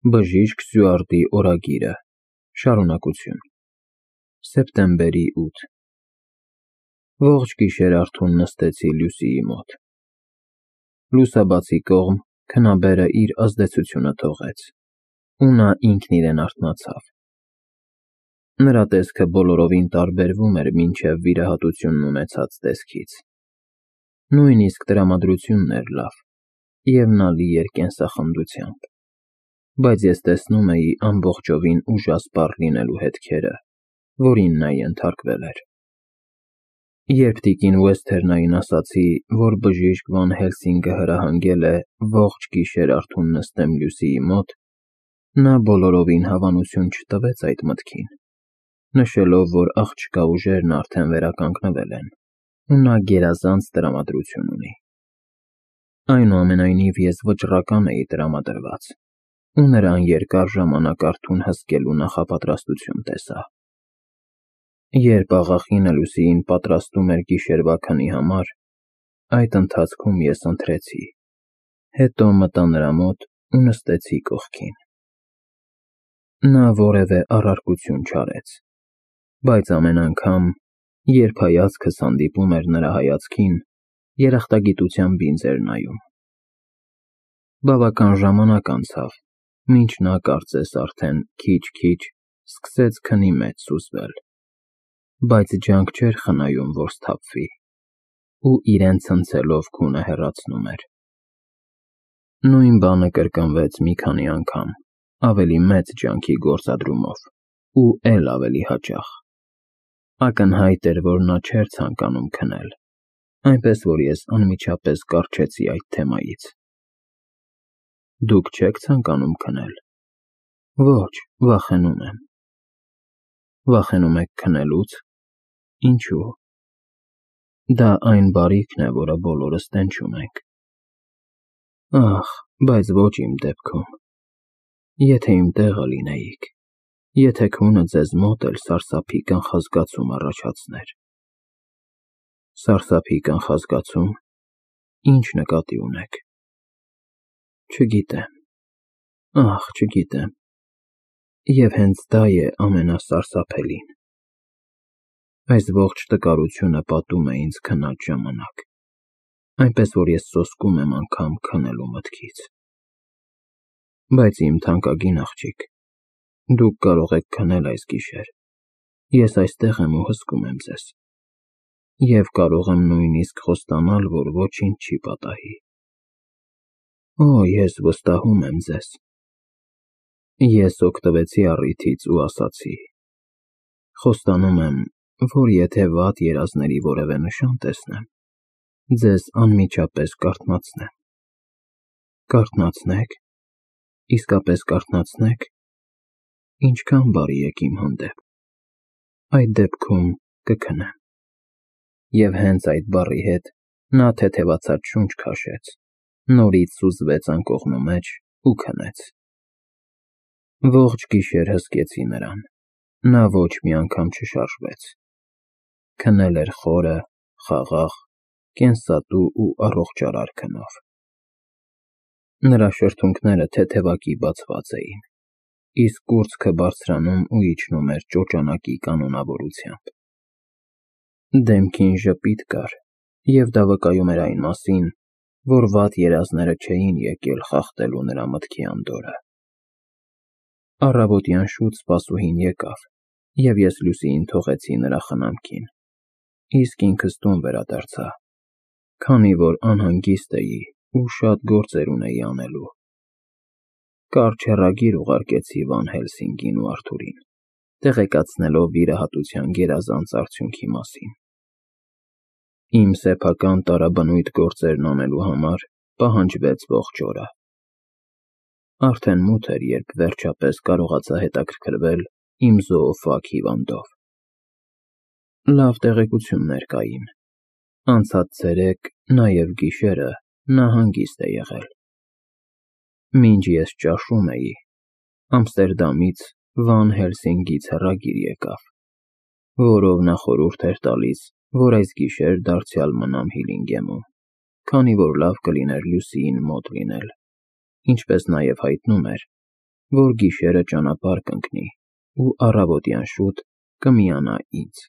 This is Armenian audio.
Բժիշկ Սյուարտի օրագիրը, շարունակություն, սեպտեմբերի 8 Ողջ գիշեր Արթուրն նստեցի Լուսիի մոտ։ Լուսաբացի կողմ քնաբերը իր ազդեցությունը թողեց, ու նա ինքն իրեն արթնացավ։ Նրա տեսքը բոլորովին տարբերվում էր մինչև վիրահատությունն ունեցած տեսքից։ Նույնիսկ տրամադրությունն էր լավ, և նա լի էր կենսախնդությամբ, բայց ես տեսնում էի ամբողջովին ուժասպառ լինելու հետքերը, որին նա ենթարկվել էր։ Երբ տիկին Ուեսթերնային ասացի, որ բժիշկ Վան Հելսինգը հրահանգել է ողջ գիշեր Արթուրն նստեմ Լուսիի մոտ, նա բոլորովին հավանություն չտվեց այդ մտքին, նշելով, որ աղջկա ուժերն արդեն վերականգնվել են, ու նա գերազանց տրամադրություն ունի։ Այնուամենայնիվ ես վճռական էի տրամադրված, ու նրան երկար ժամանակ Արթուրն հսկելու նախապատրաստություն տեսա։ Երբ աղախինը Լուսիին պատրաստում էր գիշերվա քնի համար, այդ ընթացքում ես ընթրեցի, հետո մտա նրա մոտ ու նստեցի կողքին։ Նա որևէ առարկություն չարեց, բայց ամեն անգամ, երբ հայացքս հանդիպում էր նրա հայացքին, երախտագիտությամբ ինձ էր նայում։ Բավական ժամանակ անցավ, մինչ նա կարծես արդեն քիչ-քիչ սկսեց քնի մեջ սուզվել, բայց ջանք չէր խնայում, որ սթափվի, ու իրեն ցնցելով քունը հեռացնում էր։ Նույն բանը կրկնվեց մի քանի անգամ, ավելի մեծ ջանքի գործադրումով, ու էլ ավելի հաճախ։ Ակնհայտ էր, որ նա չէր ցանկանում քնել, այնպես որ ես անմիջապես կառչեցի այդ թեմայից։ Դուք չեք ցանկանում քնել։ Ոչ, վախենում եմ։ Վախենում եք քնելուց։ Ինչու։ Դա այն բարիքն է, որը բոլորս տենչում ենք։ Ախ, բայց ոչ իմ դեպքում։ Եթե իմ տեղը լինեիք, եթե քունը ձեզ մոտ էլ սարսափի կանխազգացում առաջացներ։ Սարսափի կանխազգացում։ Ինչ նկատի ունեք։ Չգիտեմ։ Ախ, չգիտեմ։ Եվ հենց դա է ամենասարսափելին։ Այս ողջ տկարությունը պատում է ինձ քնած ժամանակ, այնպես որ ես սոսկում եմ անգամ քնելու մտքից։ Բայց իմ թանկագին աղջիկ, դուք կարող եք քնել այս գիշեր, ես այստեղ եմ ու հսկում եմ ձեզ, և կարող եմ նույնիսկ խոստանալ, որ ոչինչ չի պատահի։ Օ, ես վստահում եմ ձեզ։ Ես օգտվեցի առիթից ու ասացի. խոստանում եմ, որ եթե վատ երազների որևէ նշան տեսնեմ, ձեզ անմիջապես կարթնացնեմ։ Կարթնացնեք։ Իսկապես կարթնացնեք։ Ինչքան բարի եք իմ հանդեպ։ Այդ դեպքում կքնեմ։ Եվ հենց այդ բառի հետ նա թեթևացած շունչ քաշեց, նորից սուզվեց անկողնու մեջ ու քնեց։ Ողջ գիշեր հսկեցի նրան, նա ոչ մի անգամ չշարժվեց։ Քնել էր խորը, խաղաղ, կենսատու ու առողջարար քնով։ Նրա շրթունքները թեթևակի բացված էին, իսկ կուրծքը բարձրանում ու իջնում էր ճոճանակի կանոնավորությամբ։ Դեմքին ժպիտ կար, և դա վկայում էր այն մասին, որ վատ երազները չէին եկել խախտելու նրա մտքի անդորրը։ Առավոտյան շուտ սպասուհին եկավ, և ես Լուսիին թողեցի նրա խնամքին, իսկ ինքս տուն վերադարձա, քանի որ անհանգիստ էի ու շատ գործեր ունեի անելու։ Կարճ հեռագիր ուղարկեցի Վան Հելսինգին ու Արթուրին, տեղեկացնելով վիրահատության գերազանց արդյունքի մասին։ Իմ սեփական տարաբնույթ գործերն անելու համար պահանջվեց ողջ օրը։ Արդեն մութ էր, երբ վերջապես կարողացա հետաքրքրվել իմ զոոֆագ հիվանդով։ Լավ տեղեկություններ կային։ Անցած ցերեկ, նաև գիշերը, նա հանգիստ է եղել։ Մինչ ես ճաշում էի, Ամստերդամից Վան Հելսինգից հեռագիր եկավ, որով նա խորհուրդ էր տալիս, որ այս գիշեր դարձյալ մնամ Հիլինգեմում, քանի որ լավ կլիներ Լուսիին մոտ լինել, ինչպես նաև հայտնում էր, որ գիշերը ճանապարհ կընկնի ու առավոտյան շուտ կմիանա ինձ։